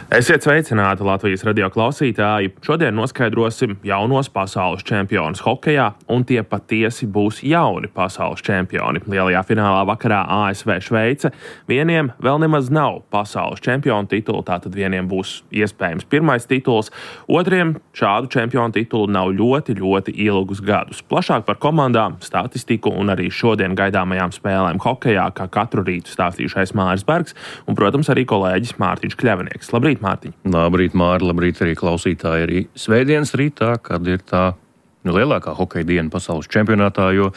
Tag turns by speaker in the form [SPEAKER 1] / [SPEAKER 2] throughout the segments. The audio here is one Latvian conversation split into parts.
[SPEAKER 1] Esiet sveicināti Latvijas radio klausītāji. Šodien noskaidrosim jaunos pasaules čempionus hokejā, un tie patiesi būs jauni pasaules čempioni. Lielajā finālā vakarā ASV Šveice. Vieniem vēl nemaz nav pasaules čempionu titula, tātad vieniem būs iespējams pirmais tituls, otriem šādu čempionu titulu nav ļoti ilgus gadus. Plašāk par komandām, statistiku un arī šodien gaidāmajām spēlēm hokejā, kā katru rītu stāstījušais Māris Bergs un, protams, arī kolēģis Mārtiņš Kļavinieks. Labrīt, Mārtiņ!
[SPEAKER 2] Labrīt, Māri, labrīt arī klausītāji. Arī svētdienas rītā, kad ir tā lielākā hokeja diena pasaules čempionātā, jo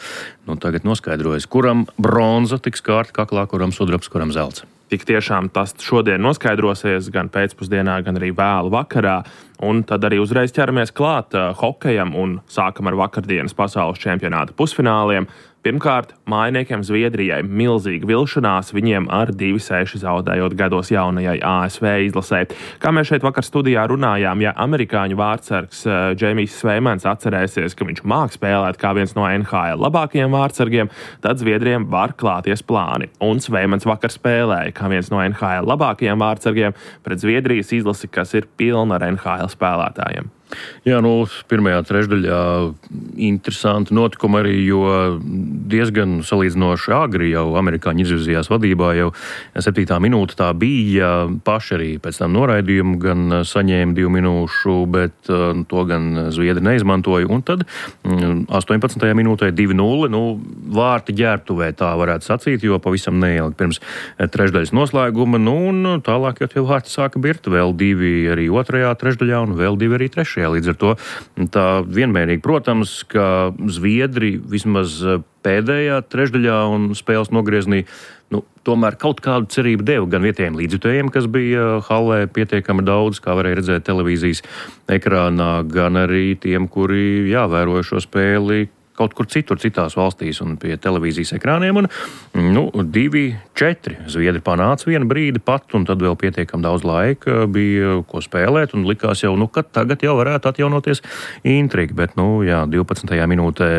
[SPEAKER 2] tagad noskaidrojas, kuram bronza tiks kārta kaklā, kuram sudrabs, kuram zelts.
[SPEAKER 1] Tik tiešām tas šodien noskaidrosies gan pēcpusdienā, gan arī vēlu vakarā. Un tad arī uzreiz ķeramies klāt hokejam un sākam ar vakardienas pasaules čempionāta pusfināliem. Pirmkārt, mājiniekiem Zviedrijai milzīga vilšanās, viņiem ar 2-6 zaudējot gados jaunajai ASV izlasē. Kā mēs šeit vakar studijā runājām, ja amerikāņu vārtsargs Džeimijs Sveimans atcerēsies, ka viņš māk spēlēt kā viens no NHL labākajiem vārtsargiem, tad Zviedriem var klāties plāni. Un Sveimans vakar spēlēja kā viens no NHL labākajiem vārtsargiem pret Zviedrijas izlasi, kas ir pilna ar NHL spēlētājiem.
[SPEAKER 2] Jā, pirmajā trešdaļā interesanti notikumi arī, jo diezgan salīdzinoši agri jau amerikāņi izvirzījās vadībā, jau 7. minūte tā bija, paši arī pēc tam noraidījumu gan saņēma 2 minūšu, bet to gan Zviedri neizmantoja, un tad 18. minūtē 2-0, vārti ģērbtuvē tā varētu sacīt, jo pavisam neilgi pirms trešdaļas noslēguma, un tālāk jau tie vārti sāka birt, vēl 2 arī otrajā trešdaļā un vēl 2 arī trešajā. Līdz ar to tā vienmērīgi, protams, ka Zviedri vismaz pēdējā trešdaļā un spēles nogrieznī tomēr kaut kādu cerību deva gan vietējiem līdzjutējiem, kas bija hallē pietiekami daudz, kā varēja redzēt televīzijas ekrānā, gan arī tiem, kuri vēroja šo spēli kaut kur citur, citās valstīs un pie televīzijas ekrāniem. Un 2-4 Zviedri panāca vienu brīdi pat, un tad vēl pietiekami daudz laika bija ko spēlēt, un likās jau, ka tagad jau varētu atjaunoties intriga, bet 12. minūtē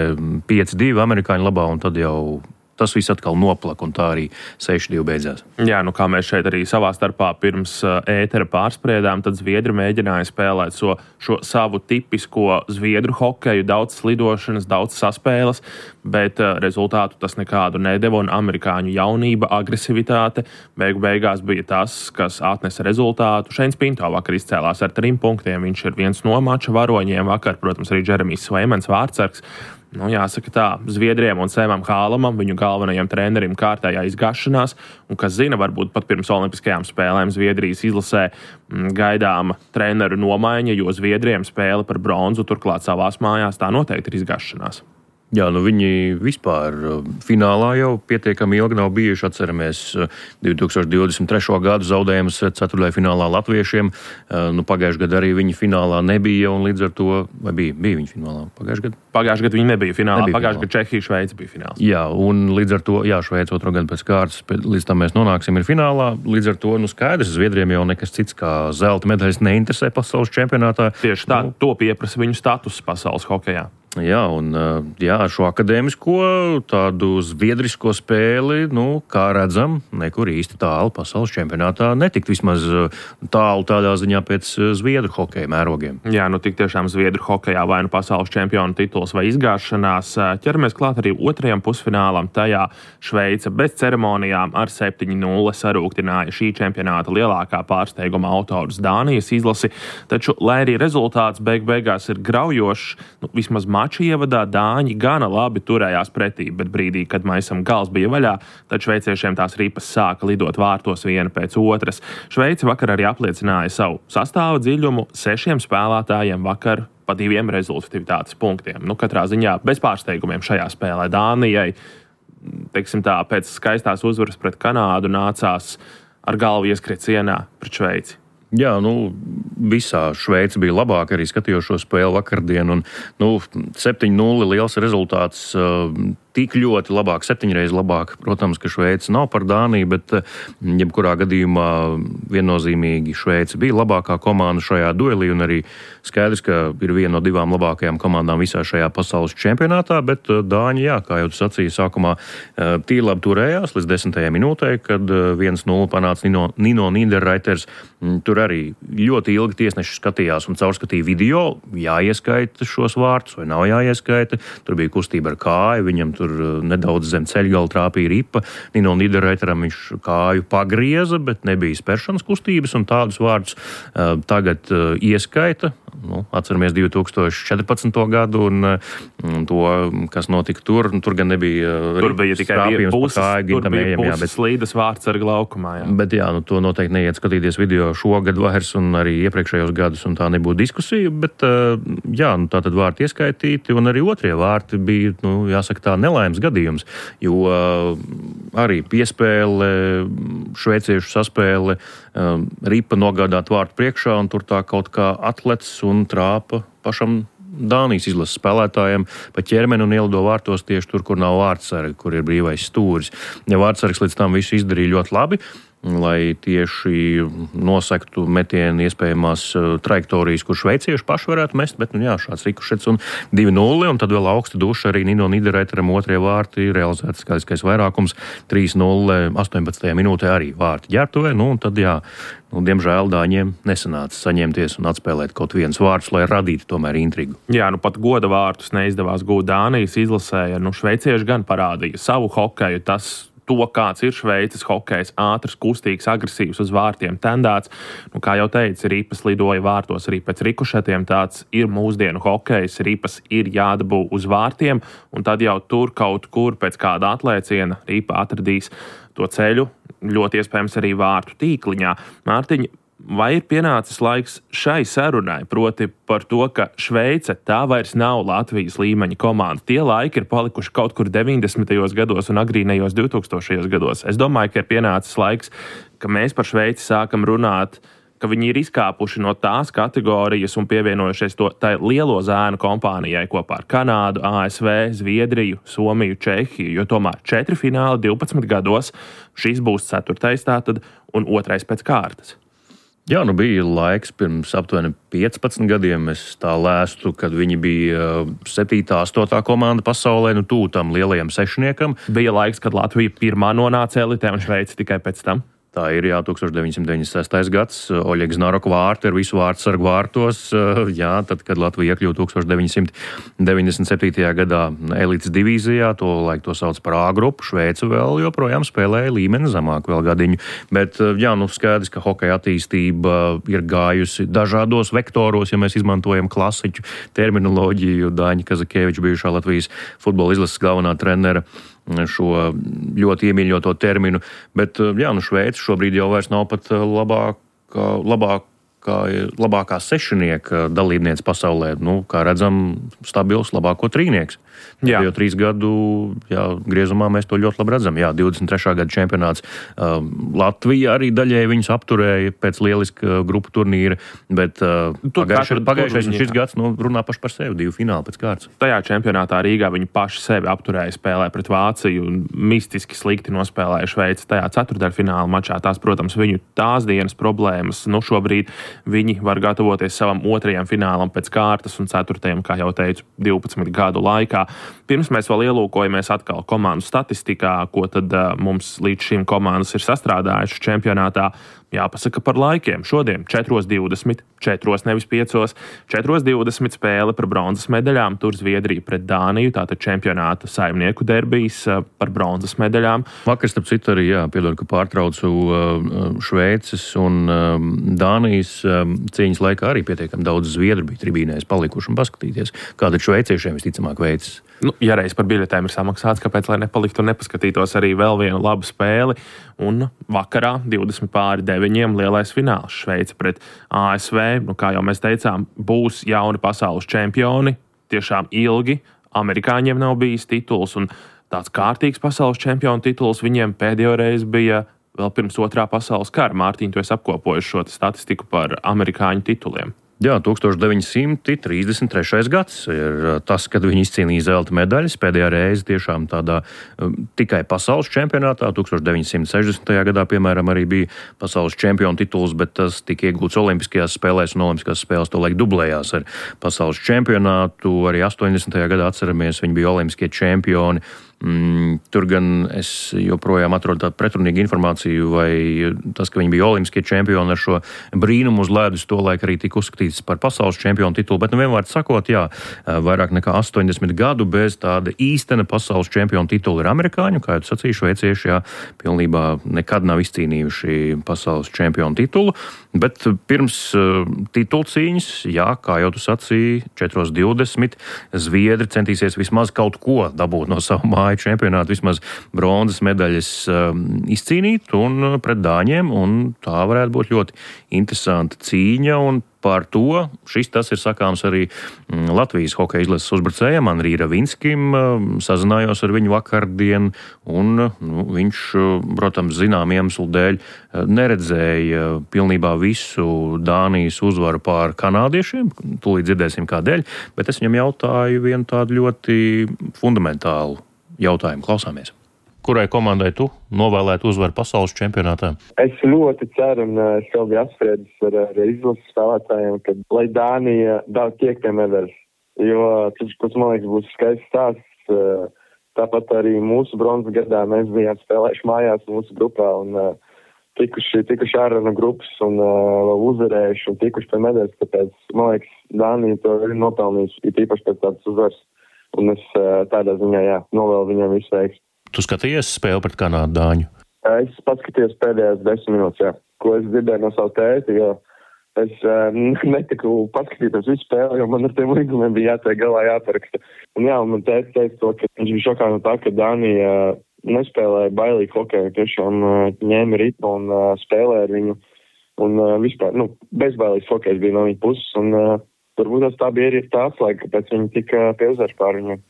[SPEAKER 2] 5-2 amerikāņu labā, un tad jau tas viss atkal noplaka, un tā arī 6-2 beidzās.
[SPEAKER 1] Jā, kā mēs šeit arī savā starpā pirms ētera pārspriedām, tad Zviedri mēģināja spēlēt šo savu tipisko zviedru hokeju, daudz slidošanas, daudz saspēles, bet rezultātu tas nekādu nedeva, un amerikāņu jaunība, agresivitāte beigās bija tas, kas atnesa rezultātu. Šeins Pinto vakar izcēlās ar 3 punktiem, viņš ir viens no mača varoņiem vakar, protams, arī Džeremijs Sveimans vārtsargs. Jāsaka tā, Zviedriem un Sēmam Hālamam, viņu galvenajam trenerim, kārtējā izgāšanās, un kas zina, varbūt pat pirms olimpiskajām spēlēm Zviedrijas izlasē gaidāma treneru nomaiņa, jo Zviedriem spēle par bronzu turklāt savās mājās, tā noteikti ir izgāšanās.
[SPEAKER 2] Jā, viņi vispār finālā jau pietiekami ilgi nav bijuši. Atceramies 2023. gadu zaudējumus ceturtajā finālā latviešiem. Pagājušajā gadā arī viņi finālā nebija, un līdz ar to, vai bija viņi finālā pagājušajā gadā?
[SPEAKER 1] Pagājušajā gadā viņi nebija finālā, pagājušajā gadā Čehija, Šveice bija fināls.
[SPEAKER 2] Jā, un līdz ar to, Šveice otro gadu pēc kārtas, līdz tam mēs nonāksim ir finālā. Līdz ar to, skaidrs, Zviedriem jau nekas cits kā zelta medaļas neinteresē pasaules čempionātā.
[SPEAKER 1] Tieši tā, to pieprasa viņu status pasaules hokejā.
[SPEAKER 2] Jā, un ar šo akadēmisko tādu zviedrisko spēli, kā redzam, nekur īsti tālu pasaules čempionātā netikt vismaz tālu tādā ziņā pēc zviedru hokeja mērogiem.
[SPEAKER 1] Jā, tik tiešām zviedru hokejā vai pasaules čempionu tituls vai izgāšanās. Ķeramies klāt arī otrajam pusfinālam. Tajā Šveice bez ceremonijām ar 7-0 sarūktināja šī čempionāta lielākā pārsteiguma autors Dānijas izlasi. Taču, lai arī rezultāts beigās ir graujošs, vismaz mača ievadā Dāņi gana labi turējās pretī, bet brīdī, kad maisam gals bija vaļā, tad šveiciešiem tās ripas sāka lidot vārtos viena pēc otras. Šveice vakar arī apliecināja savu sastāvu dziļumu, 6 spēlētājiem vakar pa 2 rezultatīvitātes punktiem. Katrā ziņā bez pārsteigumiem šajā spēlē Dānijai, teiksim tā, pēc skaistās uzvaras pret Kanādu nācās ar galvu ieskriet sienā pret Šveici.
[SPEAKER 2] Jā, visā Šveice bija labāka, arī skatījos šo spēli vakardien, un 7-0 liels rezultāts. Tik ļoti labāk, 7 reizes labāk. Protams, ka Šveice nav par Dāniju, bet jebkurā gadījumā viennozīmīgi Šveice bija labākā komanda šajā duelī, un arī skaidrs, ka ir viena no 2 labākajām komandām visā šajā pasaules čempionātā, bet Dāņi, kā jau tu sacīji, sākumā tīri labi turējās līdz 10. minūtē, kad 1-0 panāca Nino Niederreiters. Tur arī ļoti ilgi tiesneši skatījās un caurskatīja video, jāieskaita šos vārtus vai nav jāieskaita. Tur bija kustība ar kāju, viņam tur nedaudz zem ceļgala trāpīja ripa. Nino Niederreiteram viņš kāju pagrieza, bet nebija spēršanas kustības, un tādus vārdus tagad ieskaita. Atceramies 2014. gadu un to, kas notika tur. Tur gan nebija
[SPEAKER 1] tikai puses slīdas vārds ar glaukumā. Jā.
[SPEAKER 2] Bet to noteikti neiet skatīties video šogad vairs un arī iepriekšējos gadus, un tā nebūtu diskusija. Bet tā tad vārti ieskaitīti, un arī otrie vārti bija, jāsaka tā, nelaimes gadījums. Jo arī piespēle, šveiciešu saspēle, ripa nogādāt vārtu priekšā, un tur tā kaut kā atlec un trāpa pašam Dānijas izlases spēlētājiem pa ķermeni un ielido vārtos tieši tur, kur nav vārtsargi, kur ir brīvais stūris. Ja vārtsargs līdz tam visu izdarīja ļoti labi, lai tieši nosektu metienu iespējamās trajektorijas, kur šveicieši paši varētu mest, bet šāds rikušets un 2-0, un tad vēl augsta duša arī Nino Niederreiteram otrie vārti, realizēts skaidriskais vairākums, 3-0, 18. minūtē arī vārti ģērbtuvē, un tad diemžēl Dāņiem nesanāca saņemties un atspēlēt kaut viens vārds, lai radītu tomēr intrigu.
[SPEAKER 1] Jā, pat goda vārtus neizdevās gūt Dānijas izlasē, šveicieši gan parādīja savu hokeju, to, kāds ir Šveices hokejs, ātrs, kustīgs, agresīvs, uz vārtiem tendēts. Kā jau teicu, ripas lidoja vārtos arī pēc rikušetiem. Tāds ir mūsdienu hokejs, ripas ir jādabū uz vārtiem, un tad jau tur kaut kur pēc kāda atlēciena ripa atradīs to ceļu, ļoti iespējams arī vārtu tīkliņā. Mārtiņ, vai ir pienācis laiks šai sarunai, proti par to, ka Šveice tā vairs nav Latvijas līmeņa komanda? Tie laiki ir palikuši kaut kur 90. gados un agrīnajos 2000. gados. Es domāju, ka ir pienācis laiks, ka mēs par Šveici sākam runāt, ka viņi ir izkāpuši no tās kategorijas un pievienojušies tai lielo zēnu kompānijai kopā ar Kanādu, ASV, Zviedriju, Somiju, Čehiju, jo tomēr 4 fināli 12 gados, šis būs 4. tātad un 2. pēc kārtas.
[SPEAKER 2] Jā, bija laiks pirms aptuveni 15 gadiem. Es tā lēstu, kad viņi bija 7. 8. komanda pasaulē, tuvu tam lielajam sešniekam.
[SPEAKER 1] Bija laiks, kad Latvija pirmā nonāca elitē un Šveice tikai pēc tam.
[SPEAKER 2] Tā ir, 1996. gads, Oļegs Narok vārti ar visu vārtsargu vārtos, tad, kad Latvija iekļuva 1997. gadā elites divīzijā, to sauc par A grupu, Šveice vēl joprojām spēlēja līmeni zemāk vēl gadiņu, bet, skaidrs, ka hokeja attīstība ir gājusi dažādos vektoros, ja mēs izmantojam klasiķu terminoloģiju, Daņa Kazakēviča, bijušā Latvijas futbola izlases galvenā trenera, šo ļoti iemīļoto terminu, bet Šveice šobrīd jau vairs nav pat labākā sešnieka dalībniece pasaulē. Kā redzam, stabils labāko trīnieks. Jo 3 gadu griezumā mēs to ļoti labi redzam. 23. gada čempionāts Latvija arī daļēji viņus apturēja pēc lieliska grupu turnīra, bet pagājušais un šis gads runā paši par sevi, 2 fināli pēc kārtas.
[SPEAKER 1] Tajā čempionātā Rīgā viņi paši sevi apturēja spēlē pret Vāciju un mistiski slikti nospēlēja Šveici tajā ceturtdaļfināla mačā. Tās, protams, viņu tās dienas problēmas. Šobrīd viņi var gatavoties savam 2. finālam pēc kārtas un 4., kā jau teicu, 12 gadu laikā. Pirms mēs vēl ielūkojamies atkal komandu statistikā, ko tad mums līdz šim komandas ir sastrādājušas čempionātā, jāpasaka par laikiem. Šodien 4:20, 4, nevis 5, 4:20 spēle par bronzas medaļām, tur Zviedrija pret Dāniju, tātad čempionāta saimnieku derbijs par bronzas medaļām.
[SPEAKER 2] Vakar, starp citu, arī, piedod, ka pārtraucu Šveices un Dānijas cīņas laikā arī pietiekami daudz zviedru bija tribīnēs palikuši un paskatīties, kāda šveiciešiem visticamāk veicis.
[SPEAKER 1] Ja reiz par biļetēm ir samaksāts, kāpēc lai nepaliktu un nepaskatītos arī vēl vienu labu spēli. Un vakarā 20:9 lielais fināls Šveice pret ASV. Kā jau mēs teicām, būs jauni pasaules čempioni. Tiešām ilgi amerikāņiem nav bijis tituls, un tāds kārtīgs pasaules čempionu tituls viņiem pēdējo reizi bija vēl pirms Otrā pasaules kara. Mārtiņ, tu esi apkopojis šo statistiku par amerikāņu tituliem.
[SPEAKER 2] Jā, 1933. gads ir tas, kad viņi izcīnīja zelta medaļas. Pēdējā reize tiešām tādā tikai pasaules čempionātā. 1960. gadā, piemēram, arī bija pasaules čempionu tituls, bet tas tika iegūts Olimpiskajās spēlēs, un Olimpiskās spēles tolaik dublējās ar pasaules čempionātu. Arī 80. gadā atceramies, viņi bija olimpiskie čempioni. Tur gan es joprojām atrodu tādu pretrunīgu informāciju, vai tas, ka viņi bija olimpiskie čempioni ar šo brīnumu uz ledus, tolaik arī tika uzskatīts par pasaules čempionu titulu, bet vienvārds sakot, jā, vairāk nekā 80 gadu bez tāda īstena pasaules čempionu titula ir amerikāņu, kā jau sacīju, šveicieši, jā, pilnībā nekad nav izcīnījuši pasaules čempionu titulu, bet pirms titulcīņas, jā, kā jau tu sacīji, 4:20 zviedri centīsies vismaz kaut ko dabūt no savu māju čempionātu, vismaz bronzas medaļas izcīnīt un pret dāņiem, un tā varētu būt ļoti interesanta cīņa, un par to tas ir sakāms arī Latvijas hokeja izlases uzbrucējam Andrij Ravinskim. Sazinājos ar viņu vakardien, un viņš, protams, zinām iemeslu dēļ neredzēja pilnībā visu Dānijas uzvaru pār kanādiešiem. Tūlīt dzirdēsim kādēļ, bet es viņam jautāju vienu tādu ļoti fundamentālu jautājumu. Klausāmies. Kurai komandai tu novēlētu uzvaru pasaules čempionātā?
[SPEAKER 3] Es ļoti ceru, un es jau biju apspriedis ar izlases spēlētājiem, ka lai Dānija daudz tiek pie medaļas, jo tas, man liekas, būs skaists stāsts. Tāpat arī mūsu bronzas gadā mēs bijām spēlējuši mājās mūsu grupā un tikuši ārā no grupas un uzvarējuši un tikuši pie medaļas, tāpēc, man liekas, Dānija to ir nopelnījusi, ir īpaši pēc tādas uzvaras, un es tādā ziņā, jā, novēlu viņam visu veiksmi.
[SPEAKER 2] Tu skatījies spēli pret Kanādu dāņu?
[SPEAKER 3] Es paskatījos pēdējās 10 minūtes, jā, ko es dzirdēju no savu tēti, jo es netiku paskatīties visu spēli, jo man ar tiem līgumiem bija jātiek galā jāparaksta. Un jā, man tēti teica to, ka viņš bija šokā no tā, ka Dānija nespēlēja bailīgi hokeju, tiešām ņēma ritmu un spēlēja ar viņu. Un vispār, bezbailīgs hokejs bija no viņa puses, un varbūt tā bija arī tā atslēga, kāpēc viņi tika pie uzvaras pār viņiem.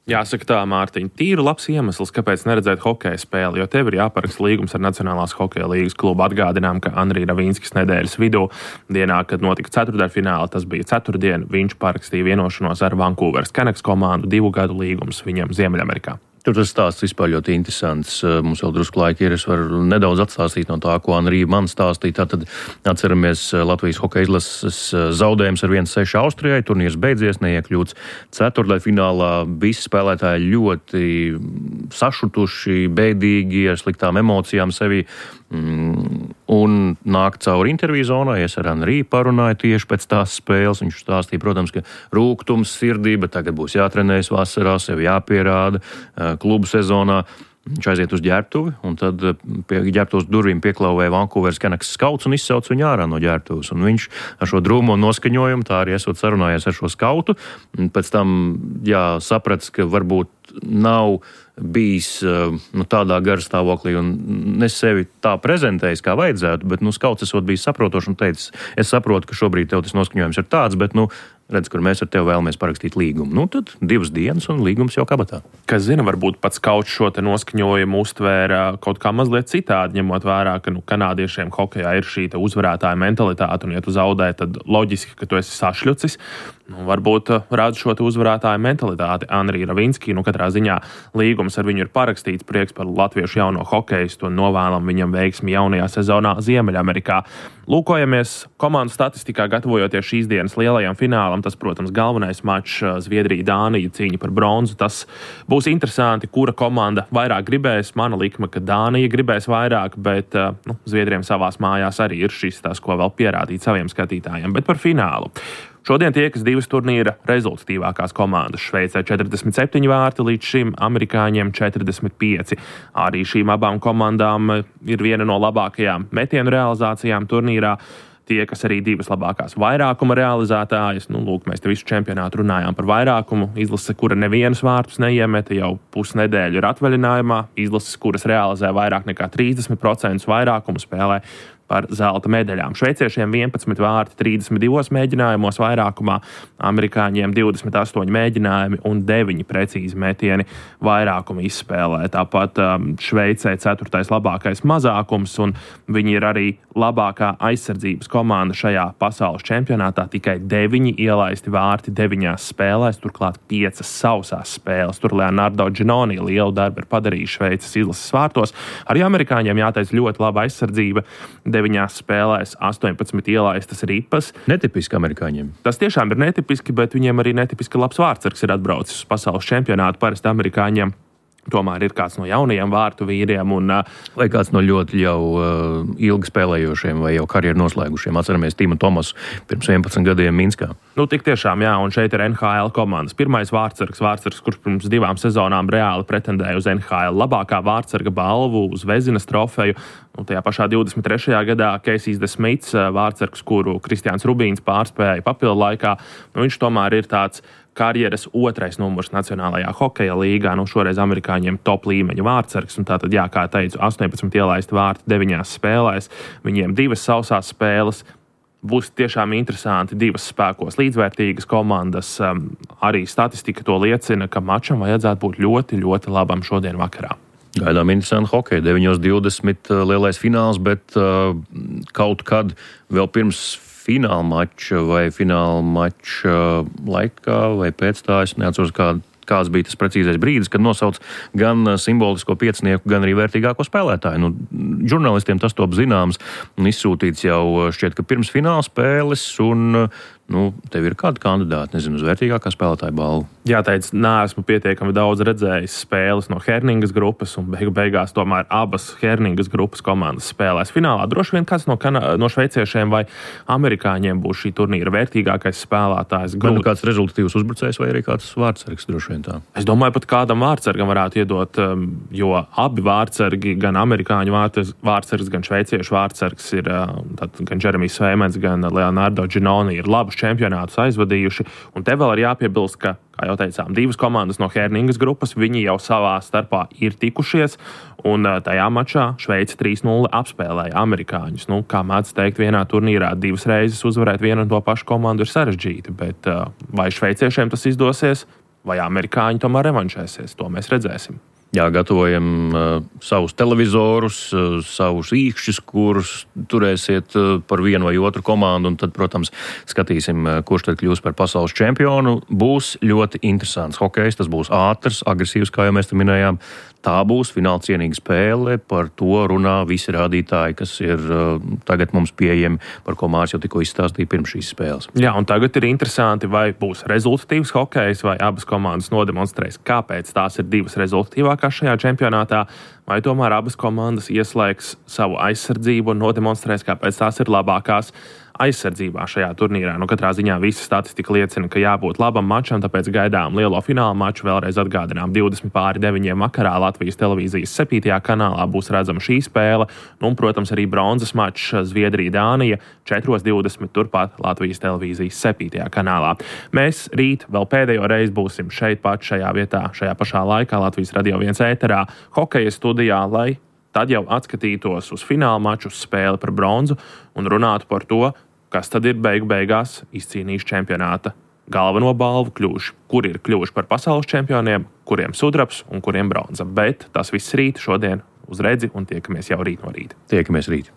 [SPEAKER 1] Jāsaka tā, Mārtiņ, tīri labs iemesls, kāpēc neredzēt hokeja spēli, jo tev ir jāparaksta līgums ar Nacionālās hokeja līgas klubu. Atgādinām, ka Andrij Ravinskis nedēļas vidū, dienā, kad notika ceturtdaļfināli, tas bija ceturtdien, viņš parakstīja vienošanos ar Vancouveras Canucks komandu, 2 gadu līgums viņam Ziemeļamerikā.
[SPEAKER 2] Tur tas stāsts vispār ļoti interesants. Mums vēl drusku laika ir. Es varu nedaudz atstāstīt no tā, ko Andrija man stāstīja. Tātad atceramies Latvijas hokeja izlases zaudējums ar 1-6 Austrijai. Turnīrs beidzies, neiekļūts ceturtdaļfinālā. Visi spēlētāji ļoti sašutuši, bēdīgi, ar sliktām emocijām sevi. Un nāk cauri interviju zonai. Es ar Andriju parunāju tieši pēc tās spēles. Viņš stāstīja, protams, ka rūgtums sirdī, bet tagad būs jātrenējas vasarā, sev jāpierāda klubu sezonā. Viņš aiziet uz ģērbtuvi, un tad pie ģērbtuves durvīm pieklauvēja Vancouveras Canucks skauts un izsauc viņu ārā no ģērbtuves. Un viņš ar šo drūmo noskaņojumu, tā arī esot sarunājies ar šo skautu, pēc tam saprats, ka varbūt nav bijis tādā garstāvoklī un ne sevi tā prezentējis, kā vajadzētu, bet skauts esot bijis saprotošs un teicis, es saprotu, ka šobrīd tev tas noskaņojums ir tāds, bet redz, kur mēs ar tevi vēlamies parakstīt līgumu. Tad 2 dienas un līgums jau kabatā.
[SPEAKER 1] Kas zina, varbūt pats kauts šo te noskaņojumu uztvēra kaut kā mazliet citādi, ņemot vērā, ka kanādiešiem hokejā ir šī uzvarētāja mentalitāte, un ja tu zaudē, tad loģiski, ka tu esi sašļucis. Varbūt redz šo te uzvarētāja mentalitāti Andrija Ravinski. Katrā ziņā līgums ar viņu ir parakstīts, prieks par latviešu jauno hokeistu un novēlam viņam veiksmi jaunajā sezonā Ziemeļamerikā. Lūkojamies komandu statistikā, gatavojoties šīs dienas lielajam finālam. Tas, protams, galvenais mačs Zviedrija-Dānija cīņa par bronzu. Tas būs interesanti, kura komanda vairāk gribēs. Mana likme, ka Dānija gribēs vairāk, bet Zviedriem savās mājās arī ir šis tas, ko vēl pierādīt saviem skatītājiem. Bet par finālu. Šodien tiekas 2 turnīra rezultatīvākās komandas. Šveicē 47 vārti, līdz šim amerikāņiem 45. Arī šīm abām komandām ir viena no labākajām metienu realizācijām turnīrā. Tiekas arī 2 labākās vairākuma realizētājas. Mēs te visu čempionātu runājām par vairākumu. Izlase, kura nevienus vārtus neiemeta, jau pusnedēļu ir atvaļinājumā. Izlases, kuras realizē vairāk nekā 30% vairākumu, spēlē par zelta medaļām. Šveiciešiem 11 vārti 32 mēģinājumos vairākumā, amerikāņiem 28 mēģinājumi un 9 precīzi metieni vairākumu izspēlē. Tāpat Šveicē 4. labākais mazākums, un viņi ir arī labākā aizsardzības komanda šajā pasaules čempionātā. Tikai 9 ielaisti vārti 9 spēlēs, turklāt 5 sausās spēles. Tur Leonardo Ginoni lielu darbu ir padarījis Šveices izlases vārtos. Arī amerikāņiem jāteic ļoti laba aizsardzība. 9 spēlēs 18 ielaistas ripas.
[SPEAKER 2] Netipiski amerikāņiem.
[SPEAKER 1] Tas tiešām ir netipiski, bet viņiem arī netipiski labs vārtsargs ir atbraucis uz pasaules čempionātu. Parasti amerikāņiem tomēr ir kāds no jaunajiem vārtu vīriem.
[SPEAKER 2] Vai kāds no ļoti jau ilgi spēlējošiem vai jau karjeru noslēgušiem. Atceramies Timu Tomasu pirms 11 gadiem Minskā.
[SPEAKER 1] Tik tiešām, jā, un šeit ir NHL komandas. Pirmais vārtsargs, kurš pirms 2 sezonām reāli pretendēja uz NHL labākā vārtsarga balvu, uz Vezinas trofeju. Tajā pašā 23. gadā Casey's DeSmits, vārtsargs, kuru Kristiāns Rubīns pārspēja papildu laikā, viņš tomēr ir tāds karjeras 2. numurs Nacionālajā hokeja līgā. Šoreiz amerikāņiem top līmeņa vārtsargs. Tātad, jā, kā teicu, 18 ielaisti vārti 9 spēlēs. Viņiem 2 sausās spēles. Būs tiešām interesanti 2 spēkos līdzvērtīgas komandas. Arī statistika to liecina, ka mačam vajadzētu būt ļoti, ļoti labam šodien vakarā.
[SPEAKER 2] Gaidām interesanti hokeju. 9:20 lielais fināls, bet kaut kad vēl pirms fināla mača vai fināla mača laikā vai pēc tā, es neatceros, kāds bija tas precīzais brīdis, kad nosauc gan simbolisko piecinieku, gan arī vērtīgāko spēlētāju. Žurnālistiem tas top zināms un izsūtīts jau šķiet, ka pirms fināla spēles, un tev ir kāda kandidāta, nezinu, uz vērtīgākā spēlētāja balvu.
[SPEAKER 1] Jāteic, neesmu pietiekami daudz redzējis spēles no Herningas grupas, un beigās tomēr abas Herningas grupas komandas spēlēs finālā. Droši vien kāds no šveiciešiem vai amerikāņiem būs šī turnīra vērtīgākais spēlētājs.
[SPEAKER 2] Vai kāds rezultatīvs uzbrucējs vai arī kāds vārtsargs, droši vien tā?
[SPEAKER 1] Es domāju, pat kādam vārtsargam varētu iedot, jo abi vārtsargi, gan amerikāņu vārtsargs, gan šveiciešu vārtsargs ir gan Jeremijs Sveimens, gan Leonardo Ginoni ir labus čempionātus aizvadījuši. Un te vēl ir jāpiebilst, ka, kā jau teicām, 2 komandas no Herningas grupas, viņi jau savā starpā ir tikušies, un tajā mačā Šveice 3-0 apspēlēja amerikāņus. Kā mēdz teikt, vienā turnīrā 2 reizes uzvarēt vienu un to pašu komandu ir sarežģīti, bet vai šveiciešiem tas izdosies, vai amerikāņi tomēr revanšēsies, to mēs redzēsim.
[SPEAKER 2] Jā, gatavojam savus televizorus, savus īkšķus, kurus turēsiet par vienu vai otru komandu, un tad, protams, skatīsim, kurš tad kļūs par pasaules čempionu. Būs ļoti interesants hokejs, tas būs ātrs, agresīvs, kā jau mēs te minējām. Tā būs fināla cienīga spēle, par to runā visi rādītāji, kas ir tagad mums pieejami, par ko Mārs jau tikko izstāstīja pirms šīs spēles.
[SPEAKER 1] Jā, un tagad ir interesanti, vai būs rezultatīvs hokejs, vai abas komandas nodemonstrēs, kāpēc tās ir 2 rezultatīvākās šajā čempionātā, vai tomēr abas komandas ieslēgs savu aizsardzību un nodemonstrēs, kāpēc tās ir labākās aizsardzībā šajā turnīrā. Katrā ziņā visa statistika liecina, ka jābūt labam mačam, tāpēc gaidām lielo fināla maču. Vēlreiz atgādinām, 20:09 vakarā Latvijas televīzijas 7. kanālā būs redzama šī spēle, un, protams, arī bronzas mačs Zviedrija-Dānija 4:20 turpat Latvijas televīzijas 7. kanālā. Mēs rīt vēl pēdējo reizi būsim šeit pat šajā vietā, šajā pašā laikā Latvijas Radio 1 ēterā, hokeja studijā, lai tad jau atskatītos uz fināla maču, uz spēli par bronzu un runātu par to, kas tad ir beigās izcīnījuši čempionāta galveno balvu, kuri ir kļuvuši par pasaules čempioniem, kuriem sudrabs un kuriem bronza. Bet tas viss rīt šodien uz redzi un tiekamies jau rīt no rīta.
[SPEAKER 2] Tiekamies rīt.